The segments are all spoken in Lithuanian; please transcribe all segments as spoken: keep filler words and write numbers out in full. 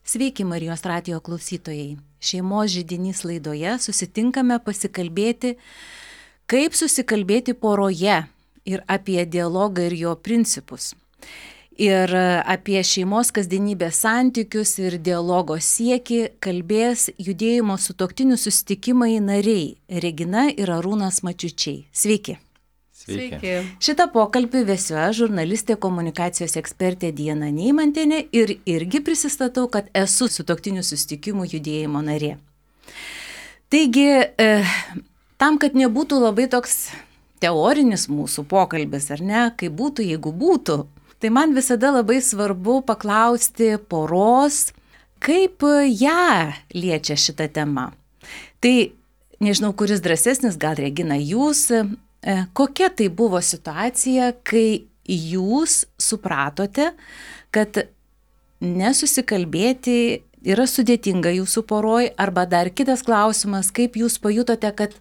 Sveiki Marijos radijo klausytojai. Šeimos židinys laidoje susitinkame pasikalbėti, kaip susikalbėti poroje ir apie dialogą ir jo principus. Ir apie šeimos kasdienybės santykius ir dialogo siekį kalbės judėjimo sutuoktinių susitikimai nariai Regina ir Arūnas Mačiučiai. Sveiki. Sveiki. Šitą pokalbį vesiu aš, žurnalistė, komunikacijos ekspertė Diana Neimantienė ir irgi prisistatau, kad esu sutuoktinių susitikimų judėjimo narė. Taigi, e, tam, kad nebūtų labai toks teorinis mūsų pokalbis, ar ne, kaip būtų, jeigu būtų, tai man visada labai svarbu paklausti poros, kaip ją liečia šitą temą. Tai nežinau, kuris drąsesnis, gal Regina jūs. Kokia tai buvo situacija, kai jūs supratote, kad nesusikalbėti yra sudėtinga jūsų poroj, arba dar kitas klausimas, kaip jūs pajutote, kad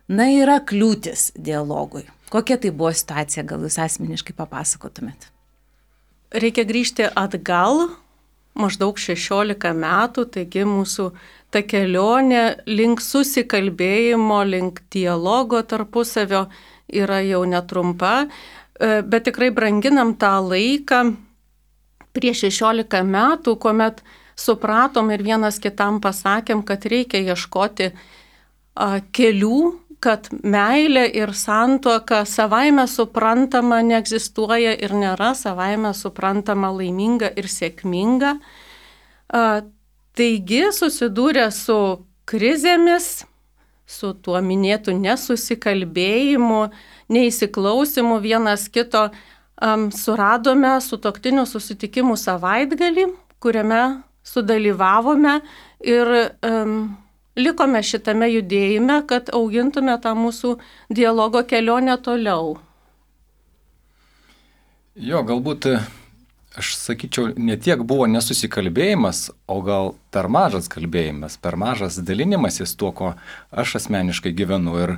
na, yra kliūtis dialogui. Kokia tai buvo situacija, gal jūs asmeniškai papasakotumėt? Reikia grįžti atgal, maždaug šešiolika metų, taigi mūsų ta kelionė link susikalbėjimo, link dialogo tarpusavio yra jau netrumpa, bet tikrai branginam tą laiką prieš šešiolika metų, kuomet supratom ir vienas kitam pasakėm, kad reikia ieškoti kelių, kad meilė ir santuoka savaime suprantama neegzistuoja ir nėra savaime suprantama laiminga ir sėkminga. Taigi susidūrę su krizėmis, su tuo minėtu nesusikalbėjimu, neįsiklausimu vienas kito, um, suradome sutuoktinių susitikimų savaitgalį, kuriame sudalyvavome ir um, likome šitame judėjime, kad augintume tą mūsų dialogo kelionę toliau. Jo, galbūt aš sakyčiau, ne tiek buvo nesusikalbėjimas, o gal per mažas kalbėjimas, per mažas dalinimasis tuo, ko aš asmeniškai gyvenu. Ir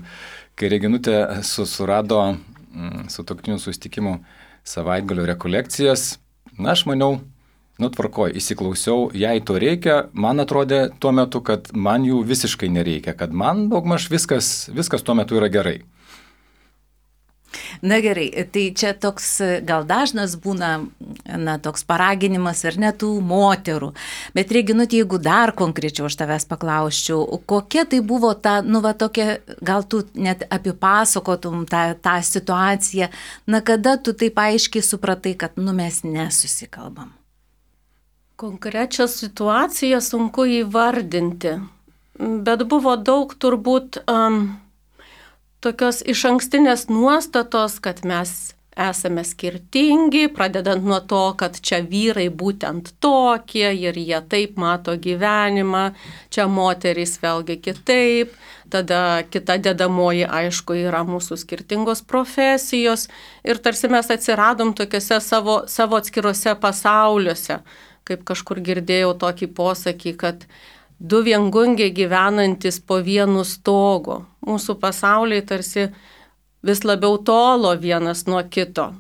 kai Reginutė surado mm, sutuoktinių susitikimų savaitgalio rekolekcijas, na, aš maniau, nu tvarkoj, įsiklausiau, jei to reikia, man atrodė tuo metu, kad man jų visiškai nereikia, kad man daugmaž viskas, viskas tuo metu yra gerai. Na gerai, tai čia toks gal dažnas būna, na, toks paraginimas ar ne tų moterų. Bet Reginutė, jeigu dar konkrečiau aš tavęs paklausčiau, kokia tai buvo ta, nu va tokia, gal tu net apipasakotum tą, tą situaciją, na kada tu taip aiškiai supratai, kad nu mes nesusikalbam? Konkrečią situaciją sunku įvardinti, bet buvo daug turbūt um, tokios išankstinės nuostatos, kad mes esame skirtingi, pradedant nuo to, kad čia vyrai būtent tokie ir jie taip mato gyvenimą, čia moterys vėlgi kitaip, tada kita dedamoji aišku yra mūsų skirtingos profesijos ir tarsi mes atsiradom tokiuose savo, savo atskiruose pasauliuose, kaip kažkur girdėjau tokį posakį, kad du viengungiai gyvenantis po vienu stogu. Mūsų pasauliai tarsi vis labiau tolo vienas nuo kito.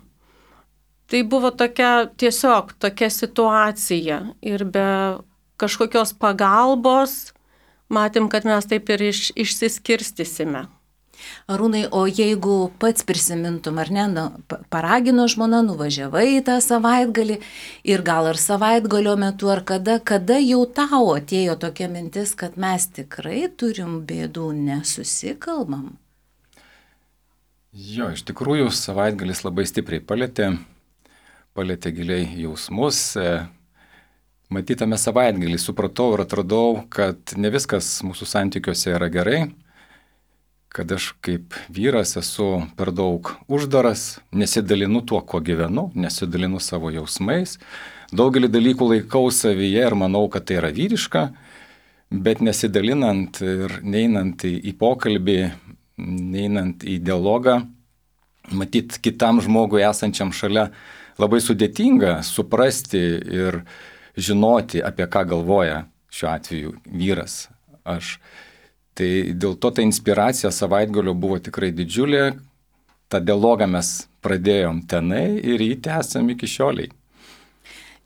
Tai buvo tokia tiesiog tokia situacija ir be kažkokios pagalbos matėm, kad mes taip ir iš, išsiskirstysime. Arūnai, o jeigu pats prisimintum, ar ne, nu, paragino žmona, nuvažiavai į tą savaitgalį ir gal ir savaitgalio metu, ar kada, kada jau tau atėjo tokia mintis, kad mes tikrai turim bėdų, nesusikalbam? Jo, iš tikrųjų savaitgalis labai stipriai palėtė, palėtė giliai jausmus. Matytame savaitgalį supratau ir atradau, kad ne viskas mūsų santykiuose yra gerai, kad aš kaip vyras esu per daug uždaras, nesidalinu tuo, kuo gyvenu, nesidalinu savo jausmais. Daugelį dalykų laikau savyje ir manau, kad tai yra vyriška, bet nesidalinant ir neinant į, į pokalbį, neinant į dialogą, matyt, kitam žmogui esančiam šalia labai sudėtinga suprasti ir žinoti, apie ką galvoja šiuo atveju vyras, aš. Tai dėl to ta inspiracija savaitgalio buvo tikrai didžiulė, tą dialogą mes pradėjom tenai ir jį tęsiam iki šioliai.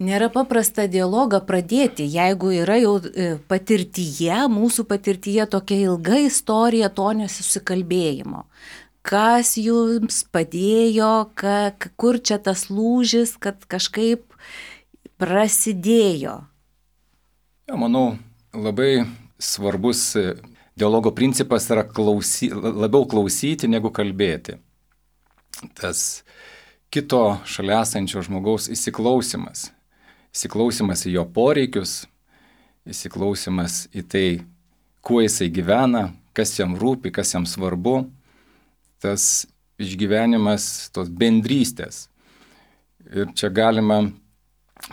Nėra paprasta dialogą pradėti, jeigu yra jau patirtyje, mūsų patirtyje tokia ilga istorija to nesusikalbėjimo. Kas jums padėjo, ka, kur čia tas lūžis, kad kažkaip prasidėjo? Ja, manau, labai svarbus dialogo principas yra klausy, labiau klausyti negu kalbėti. Tas kito šalia esančio žmogaus įsiklausimas. Įsiklausimas į jo poreikius, įsiklausimas į tai, kuo jisai gyvena, kas jam rūpi, kas jam svarbu, tas išgyvenimas, tos bendrystės. Ir čia galima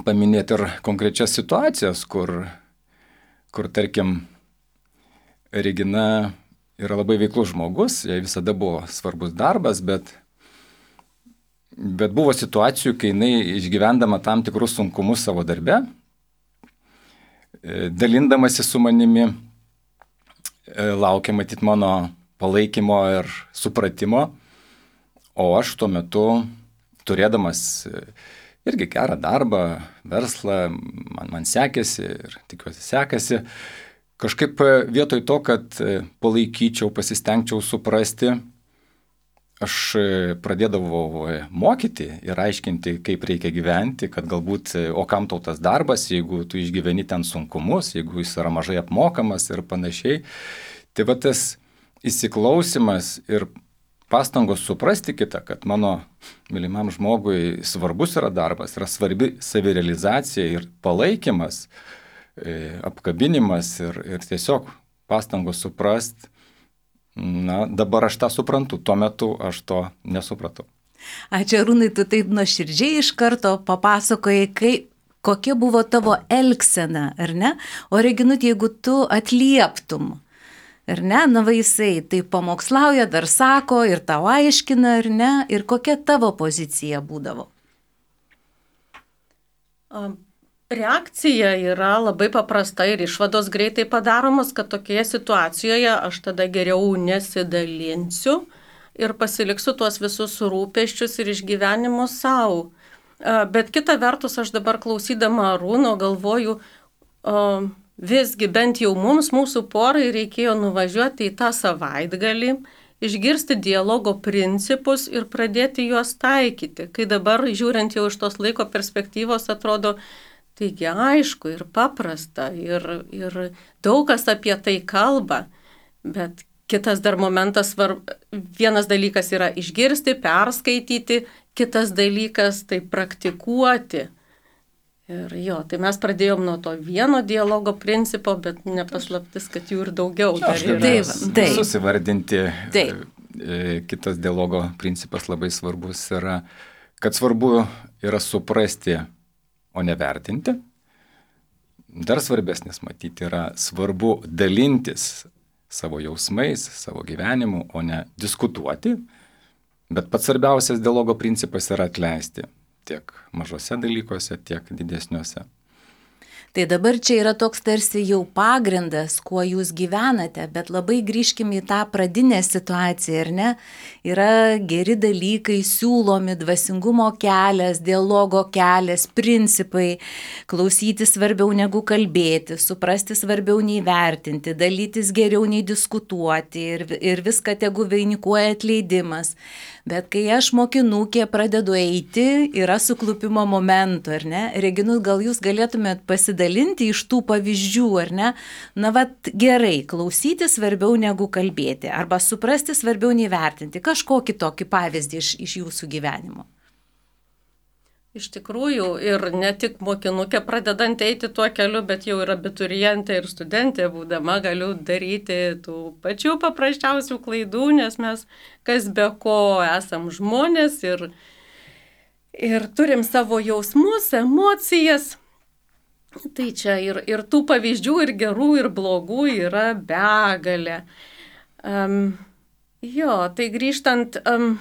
paminėti ir konkrečias situacijas, kur, kur tarkim, Regina yra labai veiklus žmogus, jai visada buvo svarbus darbas, bet Bet buvo situacijų, kai jinai išgyvendama tam tikrus sunkumus savo darbe, dalindamasi su manimi, laukia matyti mano palaikymo ir supratimo, o aš tuo metu, turėdamas irgi gerą darbą, verslą, man, man sekėsi ir tikiuosi sekasi, kažkaip vietoj to, kad palaikyčiau, pasistengčiau suprasti, aš pradėdavau mokyti ir aiškinti, kaip reikia gyventi, kad galbūt, o kam tau tas darbas, jeigu tu išgyveni ten sunkumus, jeigu jis yra mažai apmokamas ir panašiai. Tai va tas įsiklausimas ir pastangos suprasti kitą, kad mano mylimam žmogui svarbus yra darbas, yra svarbi savirealizacija ir palaikymas, apkabinimas ir, ir tiesiog pastangos suprasti. Na, dabar aš tą suprantu, tuo metu aš to nesupratau. Ačiū, Arūnai, tu taip nuoširdžiai iš karto papasakojai, kai, kokia buvo tavo elgsena, ar ne? O Reginut, jeigu tu atlieptum, ar ne, na va jisai tai pamokslauja, dar sako ir tau aiškina, ar ne, ir kokia tavo pozicija būdavo? Um. Reakcija yra labai paprasta ir išvados greitai padaromos, kad tokioje situacijoje aš tada geriau nesidalinsiu ir pasiliksiu tuos visus rūpesčius ir išgyvenimus savo. Bet kita vertus, aš dabar klausydama Arūno galvoju, visgi bent jau mums, mūsų porai, reikėjo nuvažiuoti į tą savaitgalį, išgirsti dialogo principus ir pradėti juos taikyti. Kai dabar, žiūrint jau iš tos laiko perspektyvos, atrodo, taigi aišku ir paprasta ir, ir daug kas apie tai kalba, bet kitas dar momentas, svarb... vienas dalykas yra išgirsti, perskaityti, kitas dalykas tai praktikuoti. Ir jo, tai mes pradėjom nuo to vieno dialogo principo, bet nepaslaptis, kad jų ir daugiau dar yra. Taip, taip. Susivardinti. Taip. Kitas dialogo principas labai svarbus yra, kad svarbu yra suprasti, o ne vertinti. Dar svarbesnis matyti yra svarbu dalintis savo jausmais, savo gyvenimu, o ne diskutuoti. Bet pats svarbiausias dialogo principas yra atleisti tiek mažose dalykuose, tiek didesniuose. Tai dabar čia yra toks tarsi jau pagrindas, kuo jūs gyvenate, bet labai grįžkime į tą pradinę situaciją, ar ne? Yra geri dalykai, siūlomi, dvasingumo kelias, dialogo kelias, principai, klausyti svarbiau negu kalbėti, suprasti svarbiau nei vertinti, dalytis geriau nei diskutuoti ir, ir viską tegu vainikuoja atleidimas. Bet kai aš mokinukė pradedu eiti, yra suklupimo momentų, ar ne? Reginut, gal jūs galėtumėt pasidalinti iš tų pavyzdžių, ar ne? Na, vat gerai, klausyti svarbiau negu kalbėti, arba suprasti svarbiau nei vertinti. Kažkokį tokį pavyzdį iš, iš jūsų gyvenimo. Iš tikrųjų, ir ne tik mokinukė pradedant eiti tuo keliu, bet jau ir abiturientė ir studentė būdama galiu daryti tų pačių paprasčiausių klaidų, nes mes kas be ko esam žmonės ir, ir turim savo jausmus, emocijas. Tai čia ir, ir tų pavyzdžių, ir gerų, ir blogų yra begalė. Um, jo, tai grįžtant... Um,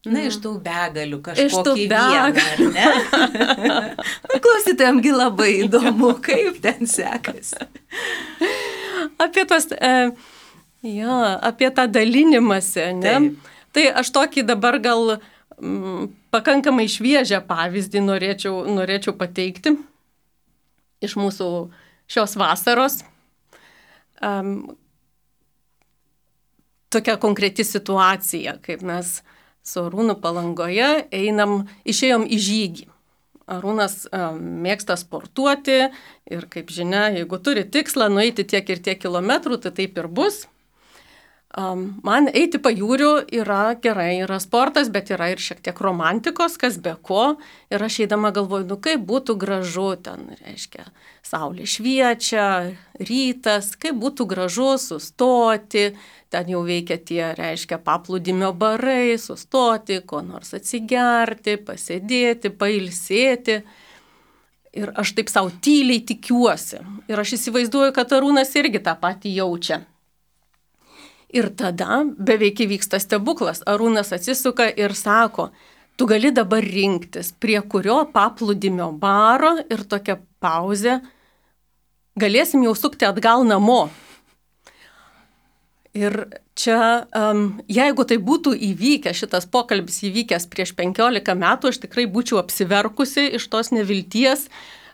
Na, iš tų begalių kažkokį vieną, ar ne? Klausytojamgi labai įdomu, kaip ten sekasi. Apie, tos, e, jo, apie tą dalinimąsi, ne? Taip. Tai aš tokį dabar gal m, pakankamai šviežią pavyzdį norėčiau, norėčiau pateikti iš mūsų šios vasaros. Um, tokia konkreti situacija, kaip mes su Arūnu Palangoje einam, išėjom į žygį. Arūnas um, mėgsta sportuoti ir, kaip žinia, jeigu turi tikslą nueiti tiek ir tiek kilometrų, tai taip ir bus. Um, man eiti pajūriu yra gerai, yra sportas, bet yra ir šiek tiek romantikos, kas be ko. Ir aš eidama galvoju, nu kaip būtų gražu, ten, reiškia, saulė šviečia, rytas, kaip būtų gražu sustoti, ten jau veikia tie, reiškia, paplūdimio barai, sustoti, ko nors atsigerti, pasėdėti, pailsėti. Ir aš taip savo tyliai tikiuosi. Ir aš įsivaizduoju, kad Arūnas irgi tą patį jaučia. Ir tada beveik įvyksta stebuklas. Arūnas atsisuka ir sako, tu gali dabar rinktis, prie kurio paplūdimio baro ir tokia pauzė, galėsim jau sukti atgal namo. Ir čia, um, jeigu tai būtų įvykę, šitas pokalbis įvykęs prieš penkiolika metų, aš tikrai būčiau apsiverkusi iš tos nevilties,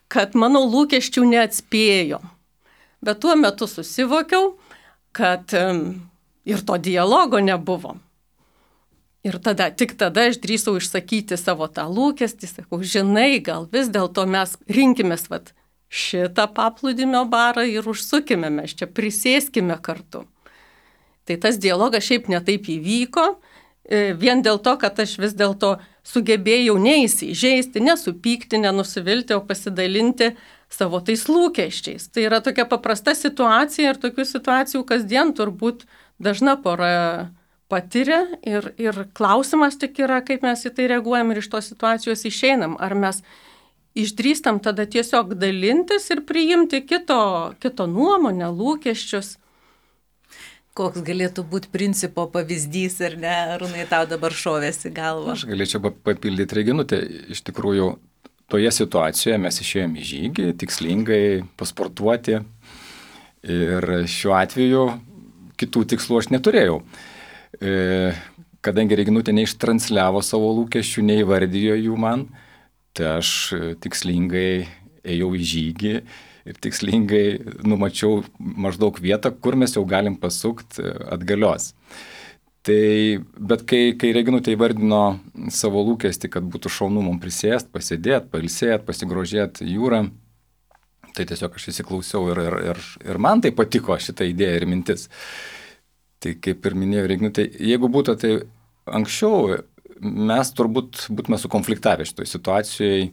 kad mano lūkesčių neatspėjo. Bet tuo metu susivokiau, kad um, ir to dialogo nebuvo. Ir tada, tik tada aš drįsau išsakyti savo tą lūkestį, sakau, žinai, gal vis dėlto mes rinkimės vat, šitą paplūdimio barą ir užsukime, mes čia prisėskime kartu. Tai tas dialogas šiaip netaip įvyko, vien dėl to, kad aš vis dėlto sugebėjau neįsižeisti, nesupykti, nenusivilti, o pasidalinti savo tais lūkesčiais. Tai yra tokia paprasta situacija ir tokių situacijų kasdien turbūt dažna pora patiria ir, ir klausimas tik yra, kaip mes į tai reaguojam ir iš tos situacijos išeinam. Ar mes išdrįstam tada tiesiog dalintis ir priimti kito, kito nuomonę, lūkesčius. Koks galėtų būti principo pavyzdys, ar ne, Arūnai, tau dabar šovėsi galva? Aš galėčiau papildyti Reginutę. Iš tikrųjų, toje situacijoje mes išėjome į žygį, tikslingai pasportuoti ir šiuo atveju kitų tikslų aš neturėjau. E, kadangi Reginutė neištransliavo savo lūkesčių, neįvardijo jų man, tai aš tikslingai ėjau į žygį ir tikslingai numačiau maždaug vietą, kur mes jau galim pasukti atgalios. Tai, bet kai, kai Reginutė įvardino savo lūkestį, kad būtų šaunu mums prisėsti, pasėdėti, pailsėti, pasigrožėti jūrą, tai tiesiog aš įsiklausiau ir, ir, ir, ir man tai patiko šitą idėją ir mintis. Tai kaip ir minėjau Reginutė, jeigu būtų tai anksčiau, mes turbūt būtume sukonfliktavę šitoj situacijai.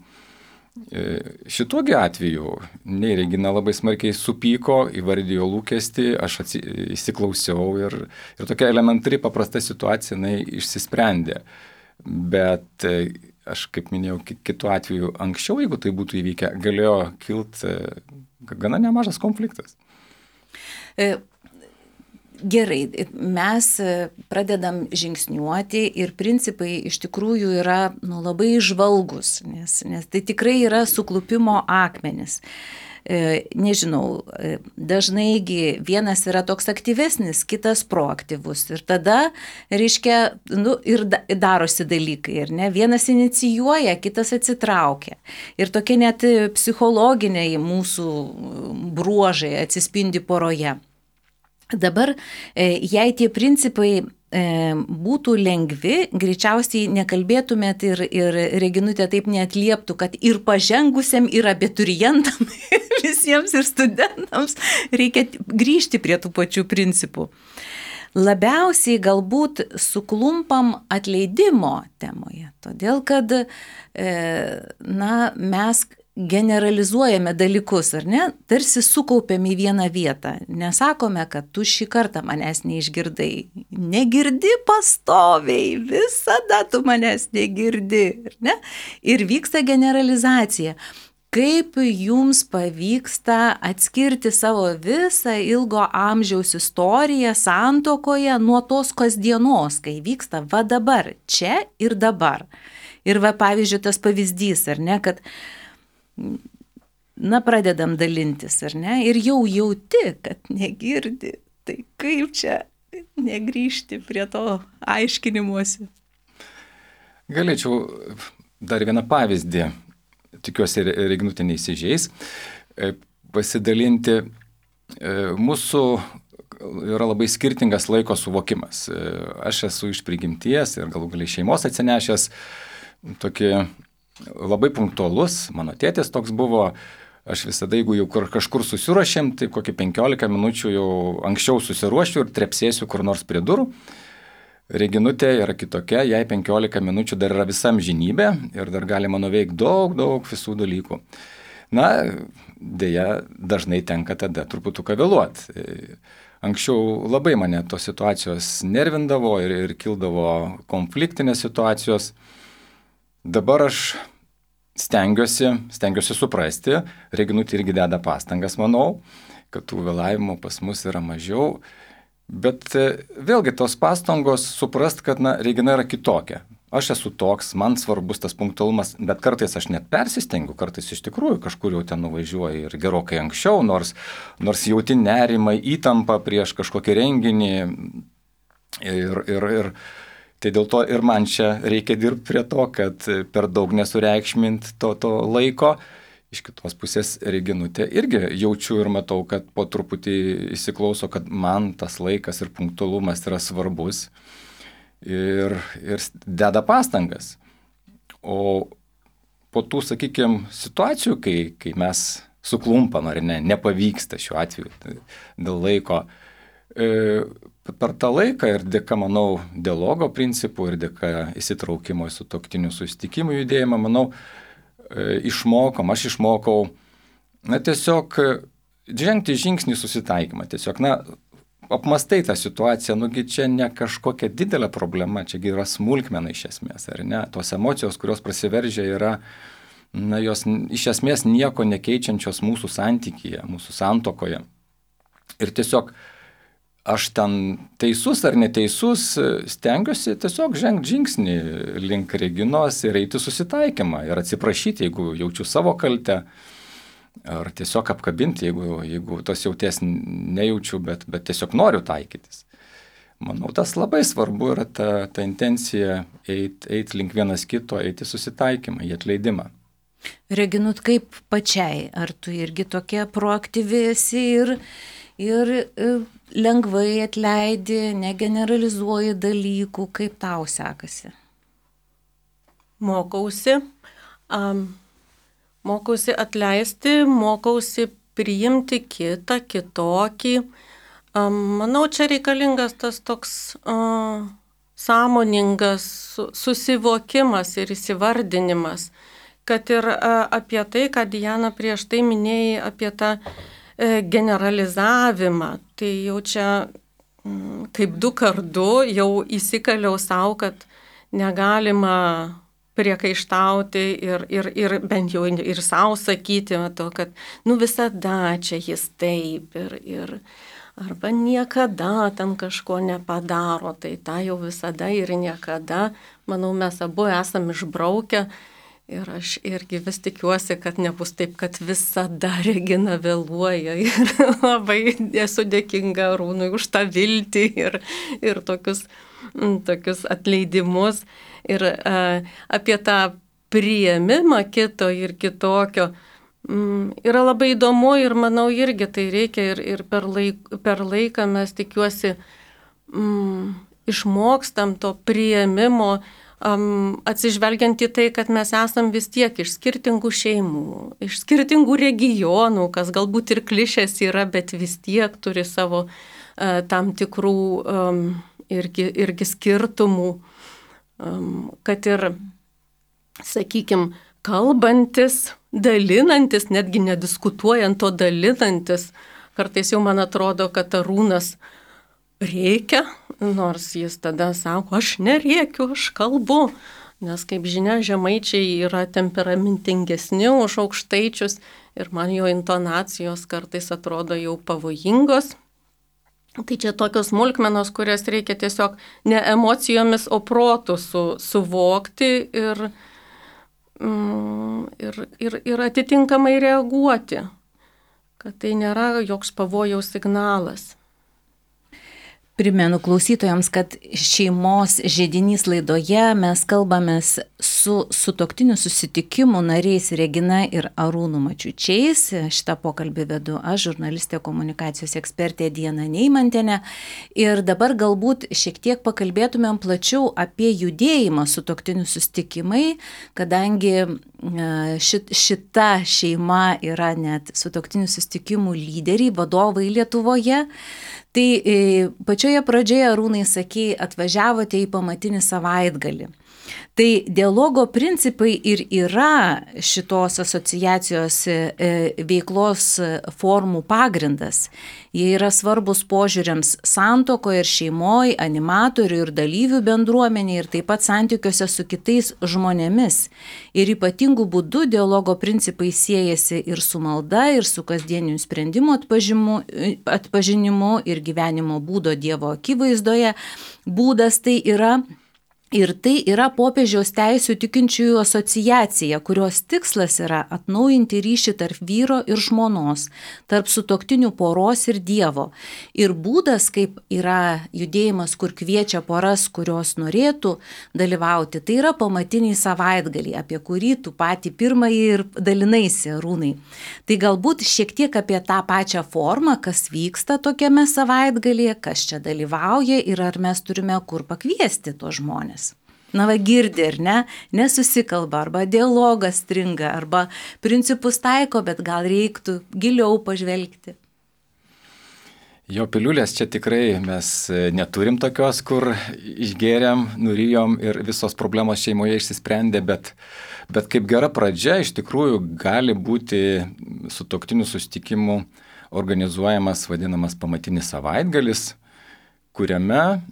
Šituogi atveju, nei Regina labai smarkiai supyko, įvardijo lūkestį, aš atsi, įsiklausiau ir, ir tokia elementari paprasta situacija jinai išsisprendė. Bet aš, kaip minėjau, kitu atveju anksčiau, jeigu tai būtų įvykę, galėjo kilti gana nemažas konfliktas. E, gerai, mes pradedam žingsniuoti ir principai iš tikrųjų yra nu, labai žvalgus, nes, nes tai tikrai yra suklupimo akmenis. E, nežinau, dažnaigi vienas yra toks aktyvesnis, kitas proaktyvus ir tada, reiškia, nu, ir da, darosi dalykai, ir ne, vienas inicijuoja, kitas atsitraukia. Ir tokie net psichologiniai mūsų bruožai atsispindi poroje. Dabar, jei tie principai būtų lengvi, greičiausiai nekalbėtumėt ir, ir Reginutė taip neatlieptų, kad ir pažengusiam, ir abiturientam, visiems ir studentams reikia grįžti prie tų pačių principų. Labiausiai galbūt suklumpam atleidimo temoje, todėl kad na, mes generalizuojame dalykus, ar ne? Tarsi sukaupiam į vieną vietą. Nesakome, kad tu šį kartą manęs neišgirdai. Negirdi pastoviai, visada tu manęs negirdi, ar ne? Ir vyksta generalizacija. Kaip jums pavyksta atskirti savo visą ilgo amžiaus istoriją santuokoje nuo tos kasdienos, kai vyksta va dabar, čia ir dabar. Ir va pavyzdžiui tas pavyzdys, ar ne, kad na, pradedam dalintis, ar ne, ir jau jauti, kad negirdi, tai kaip čia negrįžti prie to aiškinimuose? Galėčiau dar vieną pavyzdį, tikiuosi Reginutė neįsižeis, pasidalinti. Mūsų yra labai skirtingas laiko suvokimas. Aš esu iš prigimties ir galų galiai šeimos atsinešęs tokį labai punktualus, mano tėtis toks buvo. Aš visada, jeigu jau kažkur susiruošėm, tai kokį penkiolika minučių jau anksčiau susiruošiu ir trepsėsiu kur nors prie durų. Reginutė yra kitokia, jai penkiolika minučių dar yra visa amžinybė ir dar galima nuveikti daug, daug visų dalykų. Na, dėja, dažnai tenka tada truputuką vėluoti. Anksčiau labai mane tos situacijos nervindavo ir, ir kildavo konfliktinės situacijos. Dabar aš stengiuosi, stengiuosi suprasti, Reginutė irgi deda pastangas, manau, kad tų vėlavimų pas mus yra mažiau, bet vėlgi tos pastangos suprast, kad na, Regina yra kitokia. Aš esu toks, man svarbus tas punktualumas, bet kartais aš net persistengiu, kartais iš tikrųjų kažkur jau ten nuvažiuoju ir gerokai anksčiau, nors, nors jauti nerimą, įtampą prieš kažkokį renginį ir, ir, ir tai dėl to ir man čia reikia dirbti prie to, kad per daug nesureikšmint to, to laiko. Iš kitos pusės Reginutė irgi jaučiu ir matau, kad po truputį įsiklauso, kad man tas laikas ir punktualumas yra svarbus ir, ir deda pastangas. O po tų, sakykime, situacijų, kai, kai mes suklumpam ar ne, nepavyksta šiuo atveju dėl laiko, e, per tą laiką ir dėka, manau, dialogo principų ir dėka įsitraukimo į sutuoktinių susitikimų judėjimą, manau, išmokom, aš išmokau, na, tiesiog žengti žingsnį susitaikymą. Tiesiog, na, apmastai tą situaciją, nugi čia ne kažkokia didelė problema, čiagi yra smulkmena iš esmės, ar ne? Tos emocijos, kurios prasiveržia, yra, na, jos iš esmės nieko nekeičiančios mūsų santykyje, mūsų santuokoje. Ir tiesiog aš ten teisus ar neteisus, stengiuosi tiesiog žengti žingsnį link Reginos ir eiti susitaikymą ir atsiprašyti, jeigu jaučiu savo kaltę, ar tiesiog apkabinti, jeigu, jeigu tos jauties nejaučiu, bet, bet tiesiog noriu taikytis. Manau, tas labai svarbu yra ta, ta intencija eiti eit link vienas kito, eiti susitaikymą, į atleidimą. Reginut, kaip pačiai, ar tu irgi tokia proaktyvi esi ir, ir, ir lengvai atleidi, negeneralizuoji dalykų, kaip tau sekasi? Mokausi, um, mokausi atleisti, mokausi priimti kitą, kitokį. Um, manau, čia reikalingas tas toks uh, sąmoningas susivokimas ir įsivardinimas, kad ir uh, apie tai, ką Diana prieš tai minėjai, apie tą generalizavimą, tai jau čia kaip du kart du jau įsikaliau savo, kad negalima priekaištauti ir, ir, ir bent jau ir savo sakyti, to, kad nu visada čia jis taip ir, ir arba niekada ten kažko nepadaro, tai tą jau visada ir niekada, manau, mes abu esam išbraukę. Ir aš irgi vis tikiuosi, kad nebus taip, kad visada Regina vėluoja ir labai esu dėkinga Arūnui už tą viltį ir, ir tokius, tokius atleidimus. Ir a, apie tą priėmimą kito ir kitokio m, yra labai įdomu ir manau irgi tai reikia ir, ir per, laik, per laiką mes tikiuosi m, išmokstam to priėmimo, Um, atsižvelgiant į tai, kad mes esam vis tiek iš skirtingų šeimų, iš skirtingų regionų, kas galbūt ir klišės yra, bet vis tiek turi savo uh, tam tikrų um, irgi, irgi skirtumų, um, kad ir, sakykime, kalbantis, dalinantis, netgi nediskutuojant, o dalinantis, kartais jau man atrodo, kad Arūnas reikia, nors jis tada sako, aš nerėkiu, aš kalbu, nes kaip žinia, žemaičiai yra temperamentingesni už aukštaičius ir man jo intonacijos kartais atrodo jau pavojingos. Tai čia tokios smulkmenos, kurias reikia tiesiog ne emocijomis, o protu su, suvokti ir, mm, ir, ir, ir atitinkamai reaguoti, kad tai nėra joks pavojaus signalas. Primenu klausytojams, kad šeimos židinys laidoje mes kalbamės su sutuoktinių susitikimų nariais Regina ir Arūnu Mačiučiais. Šitą pokalbį vedu aš, žurnalistė, komunikacijos ekspertė Diana Neimantienė. Ir dabar galbūt šiek tiek pakalbėtumėm plačiau apie judėjimą sutuoktinių susitikimai, kadangi šit, šita šeima yra net sutuoktinių susitikimų lyderiai, vadovai Lietuvoje. Tai pačioje pradžioje, Arūnai, sakei, atvažiavote į pamatinį savaitgalį. Tai dialogo principai ir yra šitos asociacijos veiklos formų pagrindas. Jie yra svarbus požiūriams santuokoje ir šeimoje, animatorių ir dalyvių bendruomenėje ir taip pat santykiuose su kitais žmonėmis. Ir ypatingų būdų dialogo principai siejasi ir su malda, ir su kasdieniu sprendimų atpažinimu ir gyvenimo būdo Dievo akivaizdoje. Būdas tai yra Ir tai yra popiežiaus teisių tikinčiųjų asociacija, kurios tikslas yra atnaujinti ryšį tarp vyro ir žmonos, tarp sutuoktinių poros ir Dievo. Ir būdas, kaip yra judėjimas, kur kviečia poras, kurios norėtų dalyvauti, tai yra pamatiniai savaitgaliai, apie kurį tu patį pirmąjį ir dalinaisi, Arūnai. Tai galbūt šiek tiek apie tą pačią formą, kas vyksta tokiame savaitgalyje, kas čia dalyvauja ir ar mes turime kur pakviesti tuos žmonės. Na va, girdi, ar ne, nesusikalba, arba dialogas stringa, arba principus taiko, bet gal reiktų giliau pažvelgti. Jo piliulės čia tikrai mes neturim tokios, kur išgėrėm, nurijom ir visos problemos šeimoje išsisprendė, bet, bet kaip gera pradžia iš tikrųjų gali būti sutuoktinių susitikimų organizuojamas vadinamas pamatinis savaitgalis, kuriame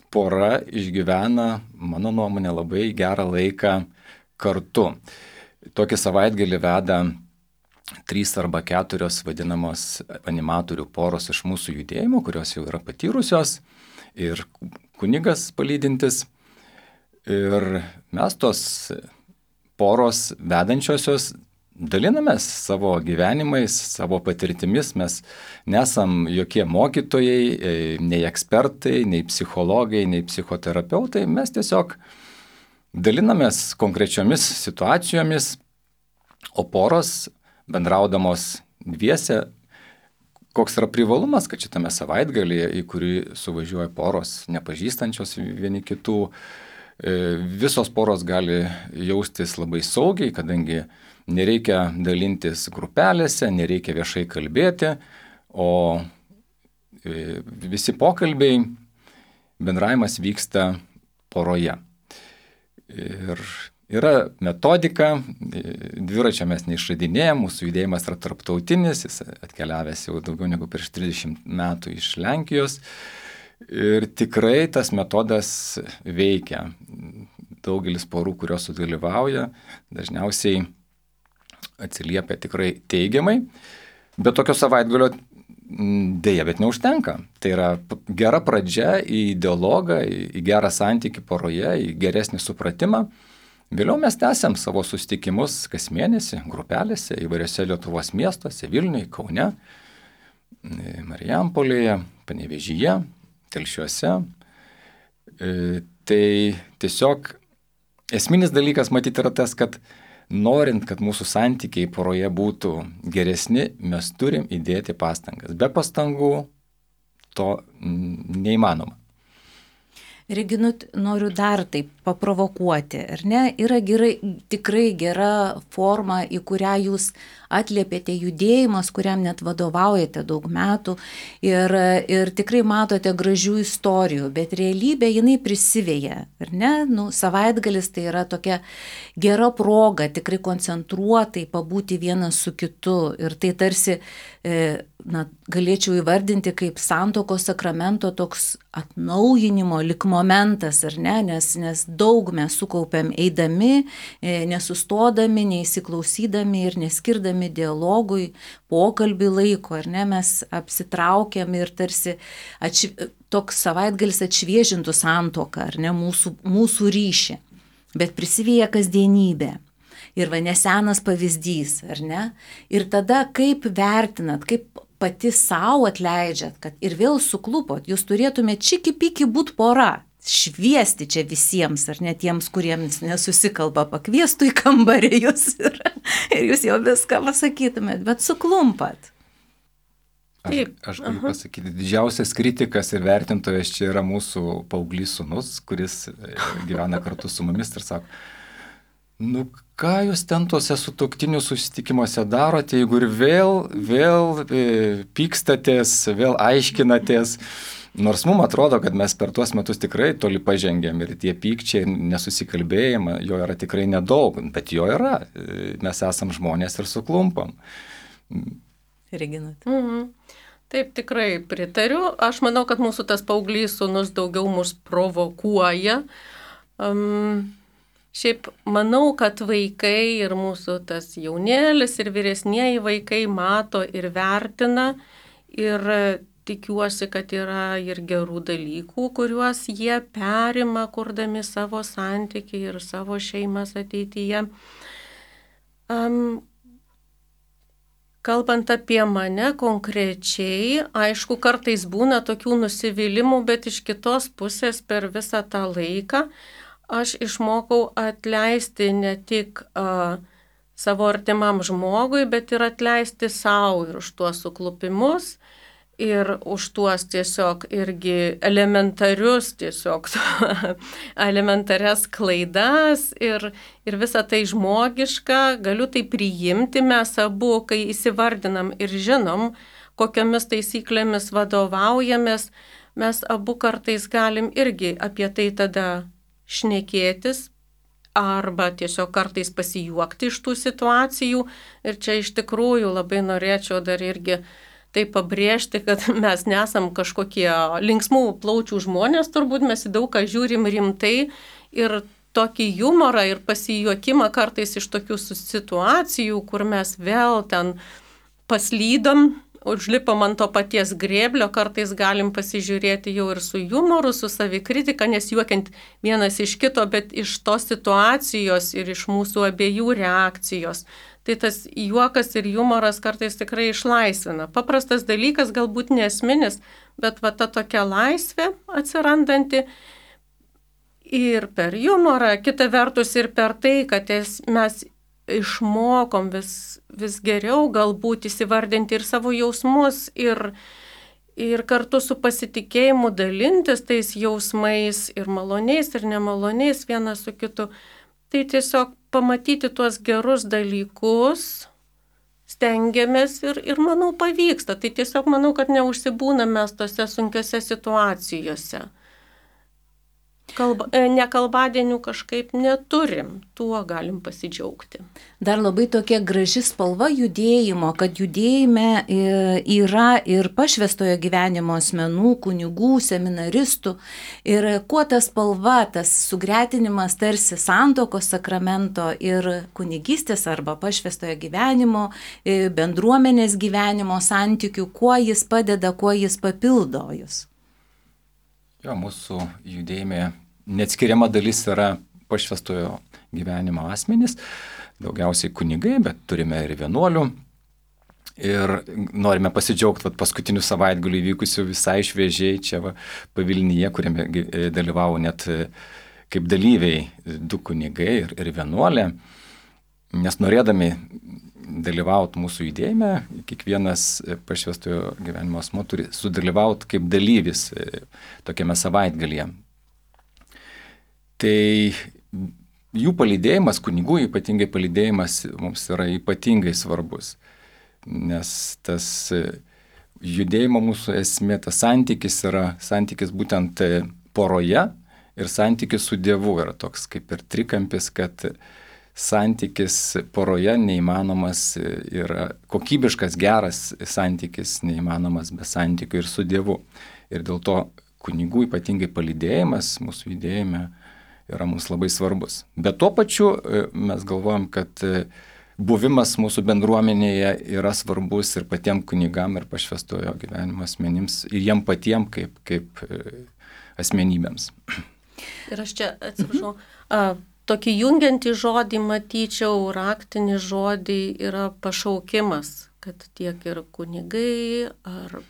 pora išgyvena, mano nuomonė, labai gerą laiką kartu. Tokį savaitgalį veda trys arba keturios vadinamos animatorių poros iš mūsų judėjimo, kurios jau yra patyrusios, ir kunigas palydintis. Ir mes tos poros vedančiosios dalinamės savo gyvenimais, savo patirtimis, mes nesam jokie mokytojai, nei ekspertai, nei psichologai, nei psichoterapeutai, mes tiesiog dalinamės konkrečiomis situacijomis, o poros bendraudamos dviese, koks yra privalumas, kad šitame savaitgalyje, į kurį suvažiuoja poros nepažįstančios vieni kitų, visos poros gali jaustis labai saugiai, kadangi nereikia dalintis grupelėse, nereikia viešai kalbėti, o visi pokalbiai, bendravimas vyksta poroje. Ir yra metodika, dviračio mes neišradinėjom, mūsų judėjimas yra tarptautinis, jis atkeliavęs jau daugiau negu prieš trisdešimt metų iš Lenkijos. Ir tikrai tas metodas veikia. Daugelis porų, kurios sudalyvauja, dažniausiai atsiliepia tikrai teigiamai, bet tokio savaitgalio dėja, bet neužtenka. Tai yra gera pradžia į dialogą, į gerą santykį poroje, į geresnį supratimą. Vėliau mes tęsiam savo susitikimus kas mėnesį, grupelėse, įvairiose Lietuvos miestuose, Vilniuje, Kaune, Marijampolėje, Panevėžyje, Telšiuose. Tai tiesiog esminis dalykas matyti yra tas, kad norint, kad mūsų santykiai poroje būtų geresni, mes turim įdėti pastangas. Be pastangų to neįmanoma. Reginut, noriu dar taip paprovokuoti, ar ne? Yra gerai, tikrai gera forma, į kurią jūs atliepėte judėjimas, kuriam net vadovaujate daug metų ir, ir tikrai matote gražių istorijų, bet realybė jinai prisivėja, ar ne? Nu, savaitgalis tai yra tokia gera proga tikrai koncentruotai pabūti vienas su kitu ir tai tarsi, na, galėčiau įvardinti kaip santuokos sakramento toks atnaujinimo lik momentas, ar ne? Nes, nes daug mes sukaupėm eidami, nesustodami, neįsiklausydami ir neskirdami dialogui, pokalbį laiko, ar ne, mes apsitraukiam ir tarsi atš... toks savaitgalis atšviežintų santuoką, ar ne, mūsų, mūsų ryšį, bet prisivėja kasdienybė. Ir va nesenas pavyzdys, ar ne? Ir tada kaip vertinat, kaip pati savo atleidžiat, kad ir vėl suklupot, jūs turėtumėte čiki-piki būt pora, šviesti čia visiems, ar ne tiems, kuriems nesusikalba, pakviestų į kambarį jūs ir, ir jūs jau viską pasakytumėt, bet suklumpat. Aš, aš galiu pasakyti, didžiausias kritikas ir vertintojas čia yra mūsų paauglys sūnus, kuris gyvena kartu su mumis ir sako, nu ką jūs ten tuose sutuoktinių susitikimuose darote, jeigu ir vėl, vėl e, pykstatės, vėl aiškinatės, nors mums atrodo, kad mes per tuos metus tikrai toli pažengėm ir tie pykčiai ir nesusikalbėjimai, jo yra tikrai nedaug, bet jo yra, mes esam žmonės ir suklumpam. Reginat. Mhm. Taip, tikrai pritariu. Aš manau, kad mūsų tas paauglys sūnus daugiau mus provokuoja. Um, šiaip manau, kad vaikai ir mūsų tas jaunėlis ir vyresnieji vaikai mato ir vertina ir tikiuosi, kad yra ir gerų dalykų, kuriuos jie perima, kurdami savo santykį ir savo šeimas ateityje. Um, Kalbant apie mane konkrečiai, aišku, kartais būna tokių nusivylimų, bet iš kitos pusės per visą tą laiką aš išmokau atleisti ne tik uh, savo artimam žmogui, bet ir atleisti savo ir už tuos suklupimus ir už tuos tiesiog irgi elementarius, tiesiog elementarias klaidas ir, ir visą tai žmogiška, galiu tai priimti, mes abu, kai įsivardinam ir žinom, kokiamis taisyklėmis vadovaujamės, mes abu kartais galim irgi apie tai tada šnekėtis arba tiesiog kartais pasijuokti iš tų situacijų ir čia iš tikrųjų labai norėčiau dar irgi tai pabrėžti, kad mes nesam kažkokie linksmų plaučių žmonės, turbūt mes į daug ką žiūrim rimtai ir tokį humorą ir pasijuokimą kartais iš tokių situacijų, kur mes vėl ten paslydom, užlipom ant to paties grėblio, kartais galim pasižiūrėti jau ir su humoru, su savikritika, nes juokiant vienas iš kito, bet iš tos situacijos ir iš mūsų abiejų reakcijos. Tai tas juokas ir humoras kartais tikrai išlaisvina. Paprastas dalykas, galbūt nesminis, bet va ta tokia laisvė atsirandanti ir per humorą, kita vertus ir per tai, kad mes išmokom vis, vis geriau galbūt įsivardinti ir savo jausmus ir, ir kartu su pasitikėjimu dalintis tais jausmais ir maloniais ir nemaloniais vienas su kitu. Tai tiesiog pamatyti tuos gerus dalykus, stengiamės ir, ir manau pavyksta. Tai tiesiog manau, kad neužsibūname mes tose sunkiose situacijose. Kalba, nekalbadienių kažkaip neturim, tuo galim pasidžiaugti. Dar labai tokia graži spalva judėjimo, kad judėjime yra ir pašvęstojo gyvenimo asmenų, kunigų, seminaristų. Ir kuo ta spalva, tas sugretinimas tarsi santuokos sakramento ir kunigystės arba pašvęstojo gyvenimo, bendruomenės gyvenimo santykių, kuo jis padeda, kuo jis papildo jūs. Jo, mūsų judėjime neatskiriama dalis yra pašvęstojo gyvenimo asmenys, daugiausiai kunigai, bet turime ir vienuolių. Ir norime pasidžiaugti vat, paskutinių savaitgalių įvykusių visai šviežiai čia va, Pavilnyje, kuriame dalyvavo net kaip dalyviai du kunigai ir, ir vienuolė, nes norėdami dalyvauti mūsų judėjime, kiekvienas pašvęstojo gyvenimo asmuo turi sudalyvauti kaip dalyvis tokiame savaitgalyje. Tai jų palydėjimas, kunigų ypatingai palydėjimas mums yra ypatingai svarbus, nes tas judėjimo mūsų esmė, tas santykis yra santykis būtent poroje ir santykis su Dievu yra toks kaip ir trikampis, kad santykis poroje neįmanomas ir kokybiškas, geras santykis neįmanomas be santykių ir su Dievu. Ir dėl to kunigų ypatingai palydėjimas mūsų judėjime yra mums labai svarbus. Bet tuo pačiu mes galvojam, kad buvimas mūsų bendruomenėje yra svarbus ir patiem kunigam ir pašvęstojo gyvenimo asmenims ir jiem patiem kaip, kaip asmenybėms. Ir aš čia atsiprašau. Mhm. Tokį jungiantį žodį matyčiau, raktinį žodį yra pašaukimas, kad tiek ir kunigai, ar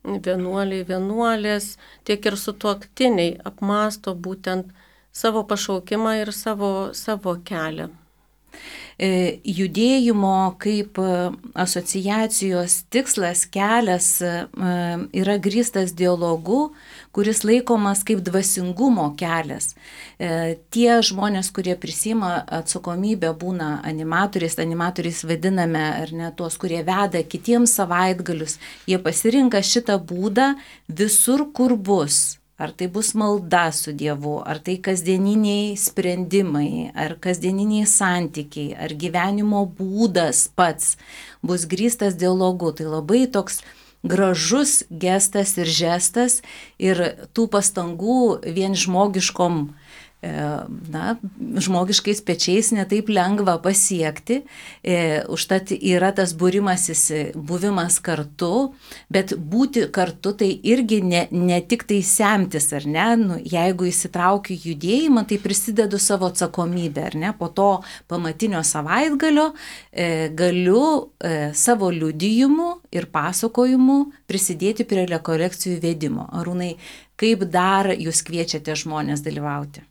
vienuoliai, vienuolės, tiek ir sutuoktiniai apmąsto būtent savo pašaukimą ir savo, savo kelią. Judėjimo kaip asociacijos tikslas, kelias yra grįstas dialogu, kuris laikomas kaip dvasingumo kelias. Tie žmonės, kurie prisima atsakomybę, būna animatoriais, animatoriais vadiname, ar ne, tuos, kurie veda kitiems savaitgalius, jie pasirinka šitą būdą visur, kur bus. Ar tai bus malda su Dievu, ar tai kasdieniniai sprendimai, ar kasdieniniai santykiai, ar gyvenimo būdas pats bus grįstas dialogu. Tai labai toks gražus gestas ir žestas ir tų pastangų vien žmogiškom, na, žmogiškais pečiais netaip lengva pasiekti, e, užtat yra tas būrimasis, buvimas kartu, bet būti kartu tai irgi ne, ne tik tai semtis, ar ne, nu, jeigu įsitraukiu judėjimą, tai prisidedu savo atsakomybę, ar ne, po to pamatinio savaitgalio e, galiu e, savo liudijimu ir pasakojimu prisidėti prie rekolekcijų vedimo. Arūnai, kaip dar jūs kviečiate žmonės dalyvauti?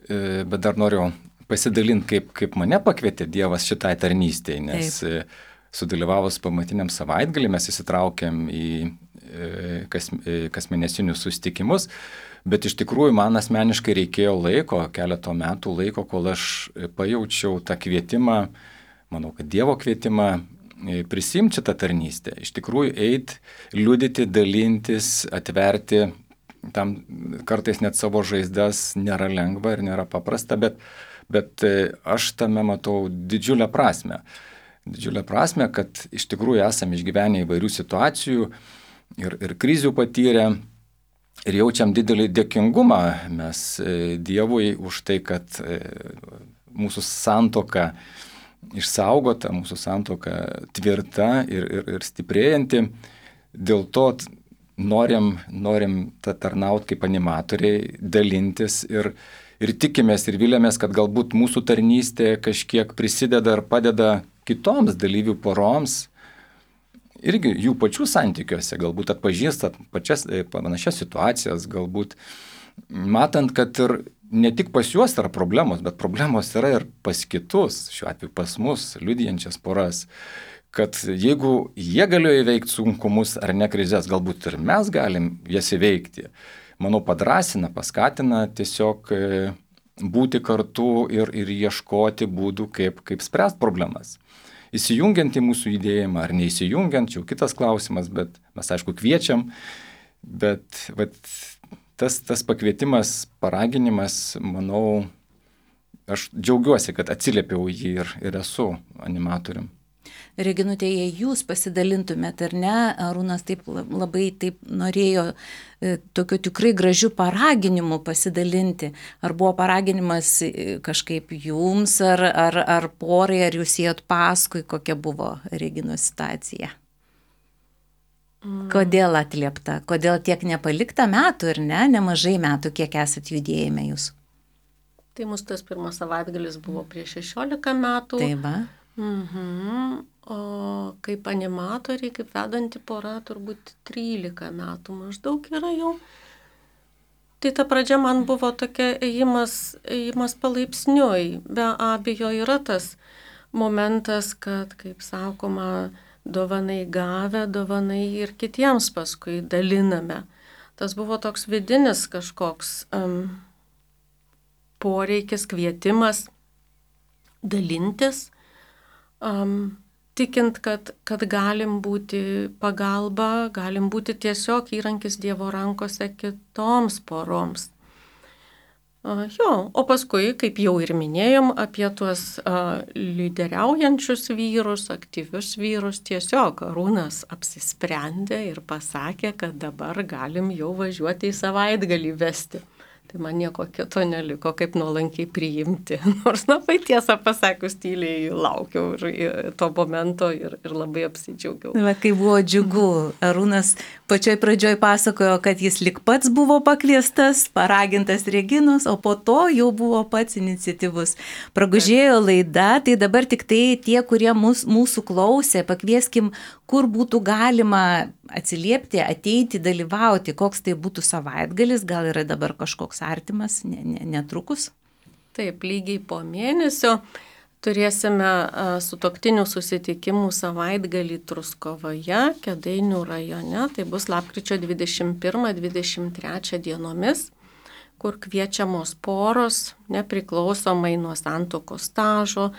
Bet dar noriu pasidalinti, kaip, kaip mane pakvietė Dievas šitai tarnystėje, nes Taip. Sudalyvavus pamatiniam savaitgalį mes įsitraukėm į kas, kasmėnesinius susitikimus, bet iš tikrųjų man asmeniškai reikėjo laiko, keleto metų laiko, kol aš pajaučiau tą kvietimą, manau, kad Dievo kvietimą prisimti šitą tarnystę. Iš tikrųjų eiti, liudyti, dalintis, atverti tam kartais net savo žaizdas nėra lengva ir nėra paprasta, bet, bet aš tame matau didžiulę prasmę. Didžiulę prasmę, kad iš tikrųjų esame išgyvenę įvairių situacijų ir, ir krizių patyrę ir jaučiam didelį dėkingumą mes Dievui už tai, kad mūsų santuoka išsaugota, mūsų santuoka tvirta ir, ir, ir stiprėjanti. Dėl to Norim, norim tarnauti kaip animatoriai, dalintis ir, ir tikimės ir vilėmės, kad galbūt mūsų tarnystė kažkiek prisideda ir padeda kitoms dalyvių poroms, irgi jų pačių santykiuose, galbūt atpažįstat pačias panašias situacijas, galbūt matant, kad ir ne tik pas juos yra problemos, bet problemos yra ir pas kitus, šiuo atveju pas mus, liudijančias poras. Kad jeigu jie galėjo įveikti sunkumus ar ne krizės, galbūt ir mes galim jas įveikti. Manau, padrasina, paskatina tiesiog būti kartu ir, ir ieškoti būdų, kaip, kaip spręsti problemas. Įsijungiant į mūsų judėjimą ar neįsijungiant, čia jau kitas klausimas, bet mes aišku kviečiam, bet vat, tas, tas pakvietimas, paraginimas, manau, aš džiaugiuosi, kad atsiliepiau jį ir, ir esu animatorium. Reginutė, jei jūs pasidalintumėt ar ne, Arūnas taip labai taip norėjo e, tokiu tikrai gražiu paraginimu pasidalinti. Ar buvo paraginimas kažkaip jums, ar, ar, ar porai, ar jūs ėjot paskui, kokia buvo Reginos situacija? Mm. Kodėl atliepta? Kodėl tiek nepalikta metų ir ne, nemažai metų, kiek esat judėjime jūs? Tai mūsų tas pirmas savaitgalis buvo prieš šešiolika metų. Taip, va. Mhm. O kaip animatoriai, kaip vedanti pora, turbūt trylika metų maždaug yra jau. Tai ta pradžia man buvo tokia ėjimas, ėjimas palaipsniui. Be abejo yra tas momentas, kad, kaip sakoma, dovanai gavę, dovanai ir kitiems paskui daliname. Tas buvo toks vidinis kažkoks um, poreikis, kvietimas dalintis. Um, tikint, kad, kad galim būti pagalba, galim būti tiesiog įrankis Dievo rankose kitoms poroms. Uh, jo, o paskui, kaip jau ir minėjom, apie tuos uh, lyderiaujančius vyrus, aktyvius vyrus, tiesiog Arūnas apsisprendė ir pasakė, kad dabar galim jau važiuoti į savaitgalį vesti. Tai man nieko kito neliko, kaip nuolankiai priimti. Nors labai tiesą pasakius, tyliai laukiau ir, ir to momento ir, ir labai apsidžiaugiau. Va, kai buvo džiugu, Arūnas pačioj pradžioj pasakojo, kad jis lik pats buvo pakviestas, paragintas Reginos, o po to jau buvo pats iniciatyvus. Pragužėjo laida, tai dabar tik tai tie, kurie mūs, mūsų klausė, pakvieskim, kur būtų galima atsiliepti, ateiti, dalyvauti, koks tai būtų savaitgalis, gal yra dabar kažkoks artimas, ne, ne, netrukus. Taip, lygiai po mėnesio turėsime sutuoktinių susitikimų savaitgalį Truskovoje, Kėdainių rajone, tai bus lapkričio dvidešimt pirmą dvidešimt trečią dienomis, kur kviečiamos poros, nepriklausomai nuo santuokos stažo,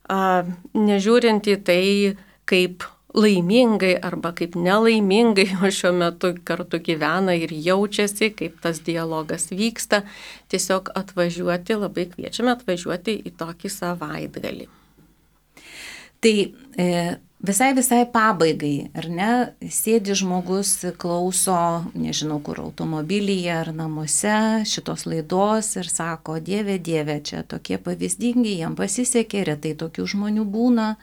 nežiūrint į tai, kaip laimingai arba kaip nelaimingai o šiuo metu kartu gyvena ir jaučiasi, kaip tas dialogas vyksta, tiesiog atvažiuoti, labai kviečiame atvažiuoti į tokį savaitgalį. Tai e, visai visai pabaigai, ar ne, sėdi žmogus, klauso, nežinau kur, automobilyje ar namuose šitos laidos ir sako, Dieve, Dieve, čia tokie pavyzdingi, jam pasisekė, retai tokių žmonių būna.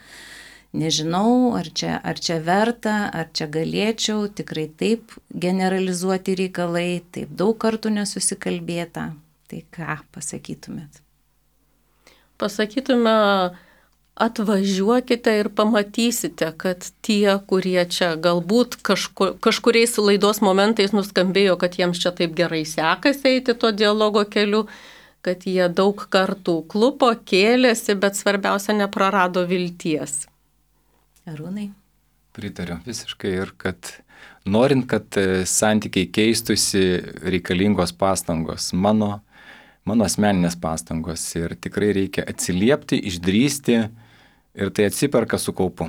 Nežinau, ar čia, ar čia verta, ar čia galėčiau, tikrai taip generalizuoti reikalai, taip daug kartų nesusikalbėta. Tai ką pasakytumėt? Pasakytume, atvažiuokite ir pamatysite, kad tie, kurie čia galbūt kažkur, kažkuriais laidos momentais nuskambėjo, kad jiems čia taip gerai sekasi eiti to dialogo keliu, kad jie daug kartų klupo, kėlėsi, bet svarbiausia neprarado vilties. Arūnai? Pritariu visiškai ir kad norint, kad santykiai keistusi, reikalingos pastangos, mano, mano asmeninės pastangos ir tikrai reikia atsiliepti, išdrįsti ir tai atsiperka su kaupu.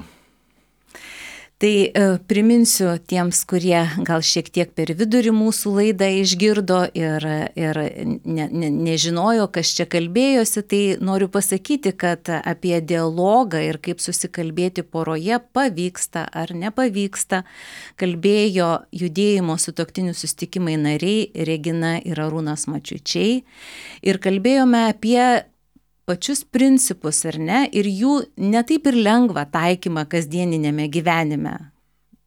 Tai e, priminsiu tiems, kurie gal šiek tiek per vidurį mūsų laidą išgirdo ir, ir ne, ne, nežinojo, kas čia kalbėjosi, tai noriu pasakyti, kad apie dialogą ir kaip susikalbėti poroje pavyksta ar nepavyksta, kalbėjo judėjimo sutuoktinių susitikimai nariai Regina ir Arūnas Mačiučiai ir kalbėjome apie pačius principus, ar ne, ir jų netaip ir lengva taikymą kasdieninėme gyvenime.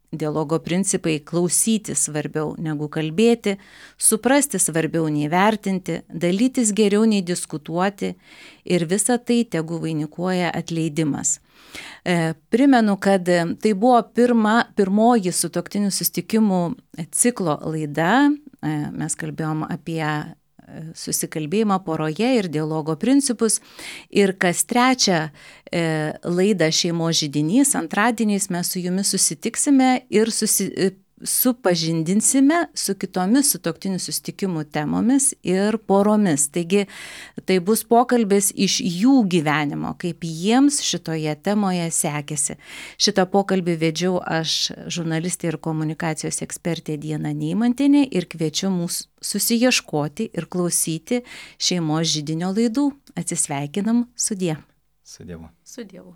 Dialogo principai klausyti svarbiau negu kalbėti, suprasti svarbiau nei vertinti, dalytis geriau nei diskutuoti ir visa tai tegu vainikuoja atleidimas. E, primenu, kad tai buvo pirma, pirmoji sutuoktinių susitikimų ciklo laida, e, mes kalbėjom apie susikalbėjimą poroje ir dialogo principus. Ir kas trečią e, laidą Šeimos židinys, antradieniais mes su jumis susitiksime ir susi, supažindinsime su kitomis sutuoktinių susitikimų temomis ir poromis. Taigi tai bus pokalbis iš jų gyvenimo, kaip jiems šitoje temoje sekėsi. Šitą pokalbį vedžiau aš, žurnalistė ir komunikacijos ekspertė Diana Neimantienė, ir kviečiu mūsų susiieškoti ir klausyti Šeimos židinio laidų. Atsisveikinam, sudie. Su Dievu. Su Dievu.